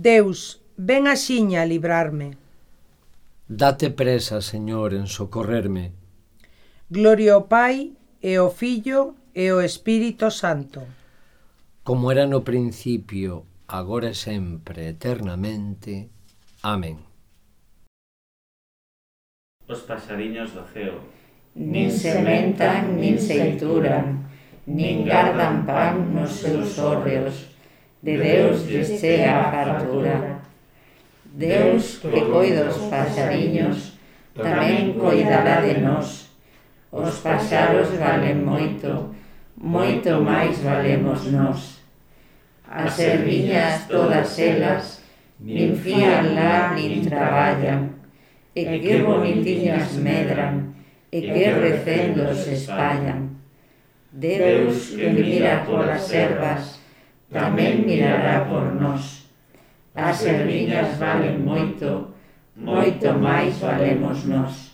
Deus, ven axiña a librarme. Date presa, Señor, en socorrerme. Gloria ao Pai, e ao Fillo, e ao Espírito Santo. Como era no principio, agora e sempre, eternamente. Amén. Os pasadiños do ceo nin sementan, nin seituran, nin gardan pan nos seus hórreos. De Deus lles chega a fartura. Deus, que coida os pasadiños, tamén coidará de nós. Os paxaros valen moito, moito máis valemos nós. As erviñas todas elas, nin fían lá nin traballan, e que bonitiñas medran, e que recendo se espallan. Deus, que mira polas ervas, tamén mirará por nós. As erviñas valen moito, moito máis valemos nós.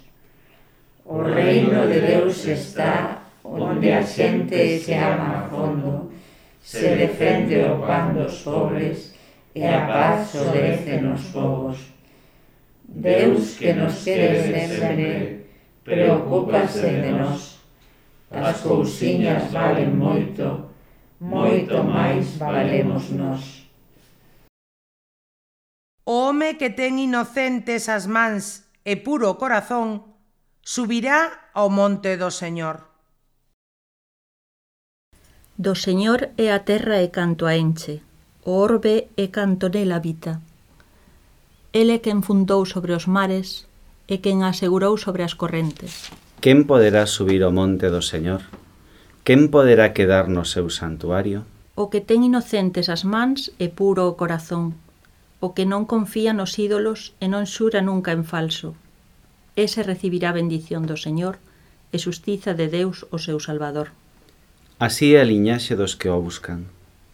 O reino de Deus está onde a xente se ama a fondo, se defende o pan dos pobres e a paz sobrece nos povos. Deus, que nos quere sempre, preocúpase de nós. As cousiñas valen moito, moito máis valemos nós. O home que ten inocentes as mans e puro corazón subirá ao monte do Señor. Do Señor é a terra e canto a enche, o orbe e canto nel habita. Ele quen fundou sobre os mares e quen asegurou sobre as correntes. Quen poderá subir ao monte do Señor? Quen poderá quedar no seu santuario? O que ten inocentes as mans e puro o corazón, o que non confía nos ídolos e non xura nunca en falso. Ese recibirá bendición do Señor e xustiza de Deus o seu Salvador. Así é a liñaxe dos que o buscan,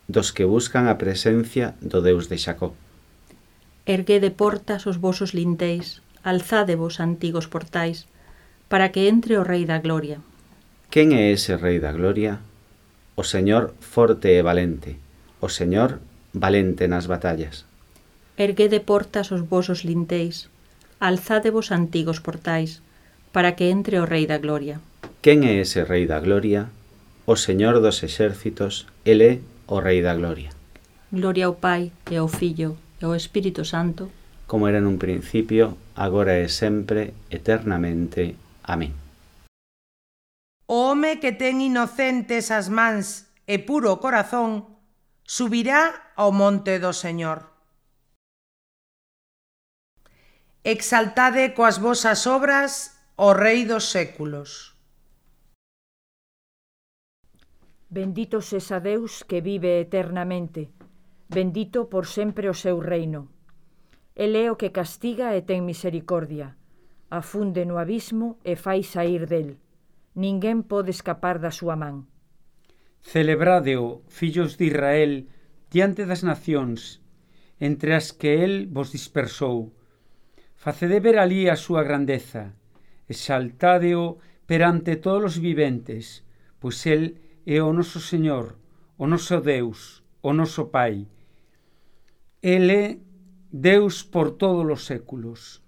dos que buscan a presencia do Deus de Xacó. Erguede portas os vosos linteis, alzádevos antigos portais, para que entre o Rei da Gloria. Quen é ese Rei da Gloria? O Señor forte e valente, o Señor valente nas batallas. Erguede portas os vosos linteis, alzádevos antigos portais, para que entre o Rei da Gloria. Quen é ese Rei da Gloria? O Señor dos exércitos, el é o Rei da Gloria. Gloria ao Pai, e ao Fillo, e ao Espírito Santo, como era nun principio, agora e sempre, eternamente. Amén. O home que ten inocentes as mans e puro corazón subirá ao monte do Señor. Exaltade coas vosas obras o Rei dos séculos. Bendito sexa Deus que vive eternamente, bendito por sempre o seu reino. El é o que castiga e ten misericordia, afunde no abismo e fai saír del. Ninguén pode escapar da súa man. Celebrádeo, fillos de Israel, diante das nacións, entre as que el vos dispersou. Facede ver alí a súa grandeza, exaltádeo perante todos os viventes, pois el é o noso Señor, o noso Deus, o noso Pai. El é Deus por todos os séculos.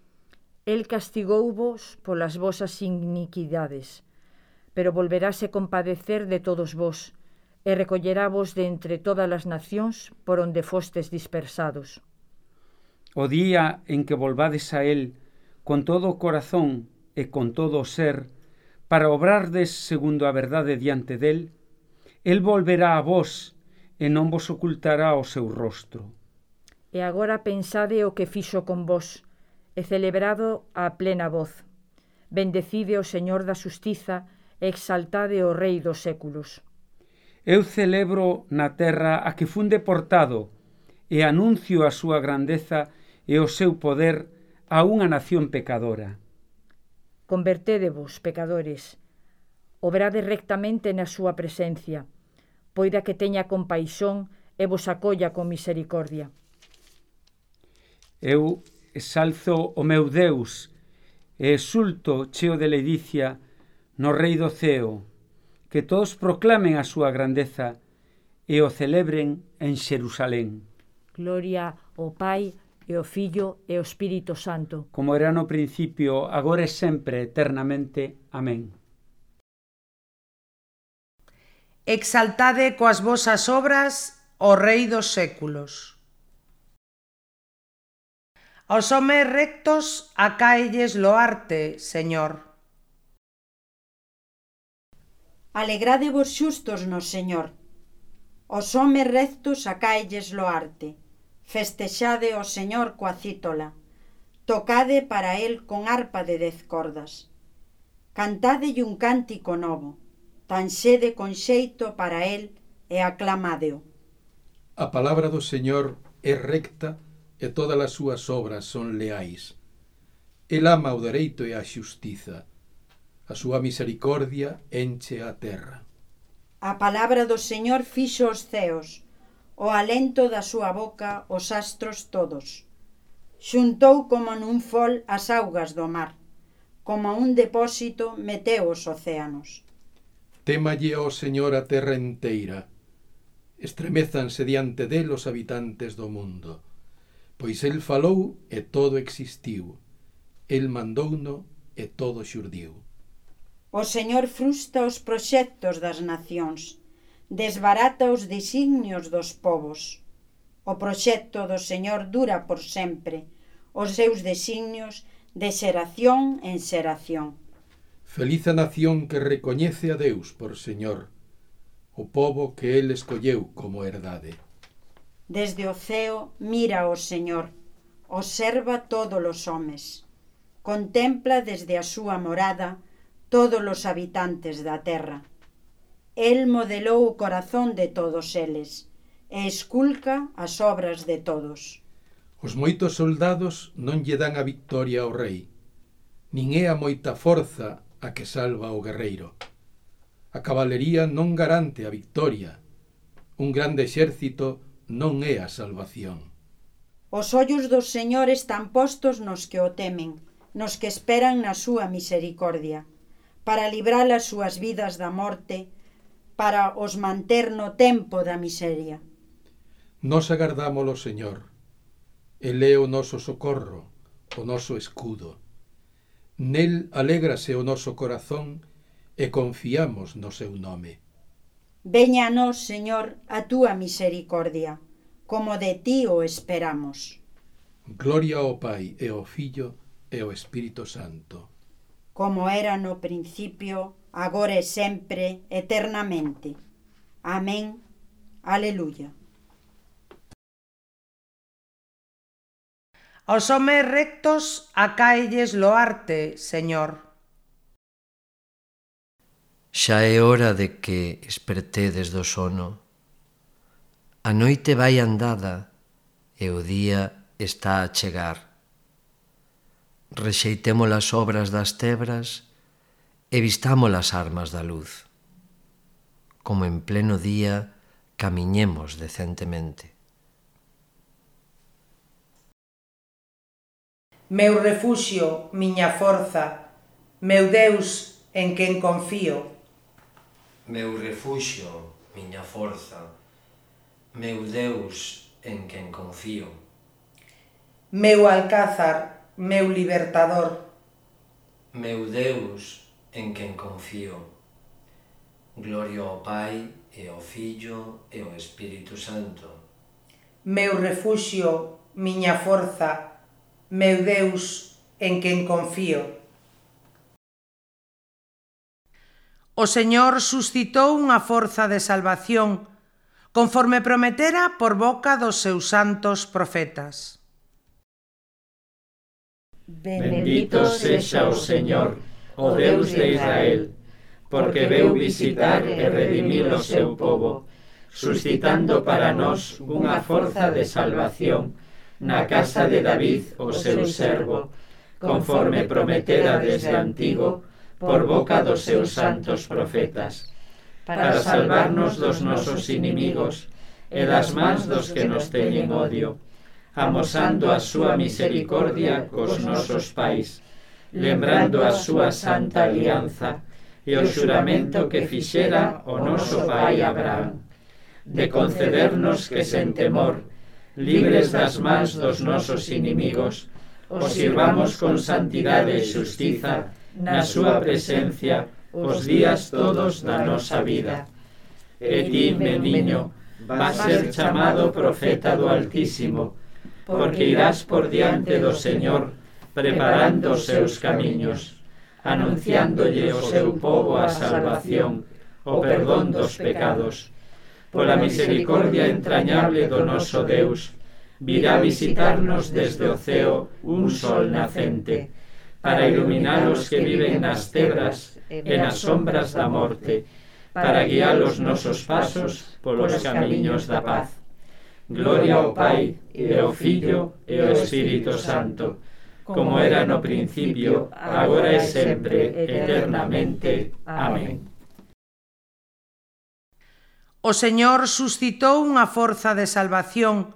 El castigouvos polas vosas iniquidades, pero volverase compadecer de todos vos, e recolleravos de entre todas as nacións por onde fostes dispersados. O día en que volvades a él con todo o corazón e con todo o ser, para obrardes segundo a verdade diante del, el volverá a vos e non vos ocultará o seu rostro. E agora pensade o que fixo con vos, e celebrado a plena voz. Bendecide o Señor da Xustiza e exaltade o Rei dos séculos. Eu celebro na terra a que fun deportado e anuncio a súa grandeza e o seu poder a unha nación pecadora. Convertédevos, pecadores, obrade rectamente na súa presencia, poida que teña compaixón e vos acolla con misericordia. Eu exalzo o meu Deus e exulto cheo de ledicia no Rei do ceo, que todos proclamen a súa grandeza e o celebren en Xerusalén. Gloria ao Pai, e ao Fillo, e ao Espírito Santo. Como era no principio, agora e sempre, eternamente. Amén. Exaltade coas vosas obras o Rei dos séculos. Aos homes rectos acáelles loarte, Señor. Alegrade-vos xustos no Señor. Os homes rectos acáelles loarte. Festexade o Señor coa cítola. Tocade para el con arpa de 10 cordas. Cantádelle un cántico novo. Tanxede con xeito para el e aclamádeo. A palabra do Señor é recta e todas as súas obras son leais. El ama o dereito e a xustiza. A súa misericordia enche a terra. A palabra do Señor fixo os ceos, o alento da súa boca os astros todos. Xuntou como nun fol as augas do mar, como un depósito meteu os océanos. Témalle ao Señor a terra enteira. Estremezanse diante del os habitantes do mundo. Pois el falou e todo existiu. El mandouno e todo xurdiu. O Señor frustra os proxectos das nacións, desbarata os designios dos povos. O proxecto do Señor dura por sempre, os seus designios de xeración en xeración. Feliz a nación que recoñece a Deus por Señor, o pobo que el escolleu como herdade. Desde o ceo mira o Señor, observa todos os homes. Contempla desde a súa morada todos os habitantes da terra. El modelou o corazón de todos eles e esculca as obras de todos. Os moitos soldados non lle dan a victoria ao rei, nin é a moita forza a que salva o guerreiro. A cabalería non garante a victoria. Un grande exército non é a salvación. Os ollos do Señor están postos nos que o temen, nos que esperan na súa misericordia, para librar as súas vidas da morte, para os manter no tempo da miseria. Nos agardámolo, Señor. El é o noso socorro, o noso escudo. Nel alégrase o noso corazón e confiamos no seu nome. Veña a nós, Señor, a túa misericordia, como de ti o esperamos. Gloria ao Pai e ao Fillo e ao Espírito Santo. Como era no principio, agora e sempre, eternamente. Amén. Aleluya. Aos homes rectos acáelles loarte, Señor. Xa é hora de que espertedes do sono. A noite vai andada e o día está a chegar. Rexeitemos as obras das tebras e vistamos as armas da luz. Como en pleno día camiñemos decentemente. Meu refuxio, miña forza, meu Deus en quen confío. Meu refuxio, miña forza, meu Deus en quen confío. Meu alcázar, meu libertador. Meu Deus en quen confío. Gloria ao Pai e ao Fillo e ao Espírito Santo. Meu refuxio, miña forza, meu Deus en quen confío. O Señor suscitou unha forza de salvación, conforme prometera por boca dos seus santos profetas. Bendito sexa o Señor, o Deus de Israel, porque veu visitar e redimir o seu povo, suscitando para nós unha forza de salvación na casa de David, o seu servo, conforme prometera desde antigo por boca dos seus santos profetas, para salvarnos dos nosos inimigos e das mans dos que nos teñen odio, amosando a súa misericordia cos nosos pais, lembrando a súa santa alianza e o xuramento que fixera o noso pai Abraham, de concedernos que sen temor libres das mans dos nosos inimigos, os sirvamos con santidade e xustiza na súa presencia os días todos da nosa vida. E ti, meniño, vas ser chamado profeta do Altísimo, porque irás por diante do Señor, preparando os seus camiños, anunciándolle ao seu pobo a salvación, o perdón dos pecados. Pola misericordia entrañable do noso Deus, virá visitarnos desde o ceo un sol nacente, para iluminar os que viven nas tebras e nas sombras da morte, para guiar os nosos pasos polos camiños da paz. Gloria ao Pai, e ao Fillo, e ao Espírito Santo, como era no principio, agora e sempre, eternamente. Amén. O Señor suscitou unha forza de salvación,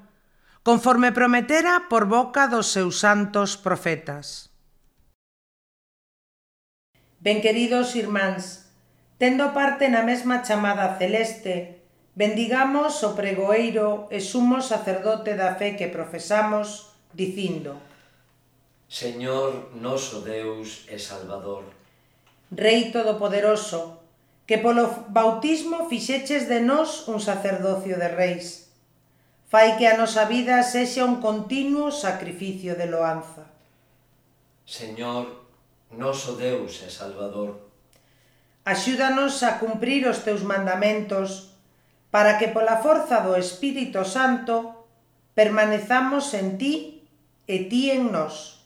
conforme prometera por boca dos seus santos profetas. Ben, queridos irmáns, tendo parte na mesma chamada celeste, bendigamos o pregoeiro e sumo sacerdote da fe que profesamos, dicindo: Señor noso Deus e Salvador, Rei Todopoderoso, que polo bautismo fixeches de nós un sacerdocio de reis, fai que a nosa vida sexa un continuo sacrificio de loanza. Señor noso Deus e Salvador, axúdanos a cumprir os teus mandamentos, para que pola forza do Espírito Santo permanezamos en ti e ti en nós.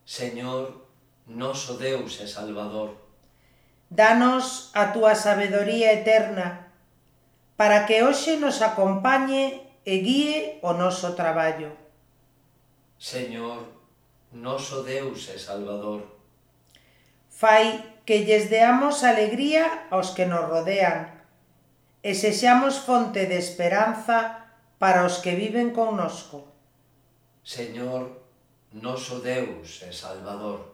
Señor noso Deus e Salvador, danos a túa sabedoría eterna, para que hoxe nos acompañe e guíe o noso traballo. Señor noso Deus e Salvador, fai que lles deamos alegría aos que nos rodean, e sexamos fonte de esperanza para os que viven connosco. Señor noso Deus e Salvador.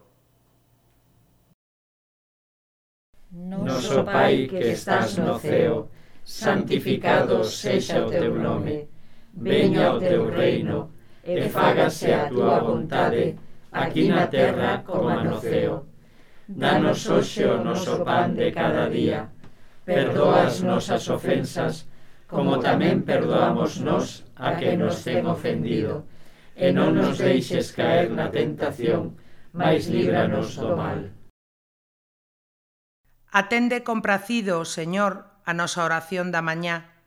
Noso Pai que estás no ceo, santificado sexa o teu nome. Veña o teu reino, e fágase a túa vontade, aquí na terra como no ceo. Danos hoxe o noso pan de cada día. Perdoa as nosas ofensas, como tamén perdoamos nós a que nos ten ofendido. E non nos deixes caer na tentación, mais líbranos do mal. Atende compracido, Señor, a nosa oración da mañá,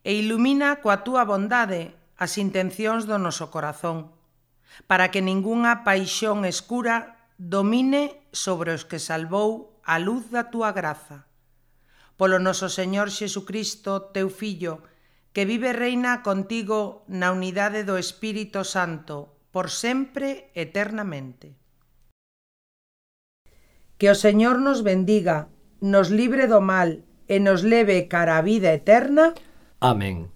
e ilumina coa túa bondade as intencións do noso corazón, para que ningunha paixón escura domine sobre os que salvou a luz da túa graza. Polo noso Señor Xesucristo, teu Fillo, que vive e reina contigo na unidade do Espírito Santo, por sempre eternamente. Que o Señor nos bendiga, nos libre do mal e nos leve cara a vida eterna. Amén.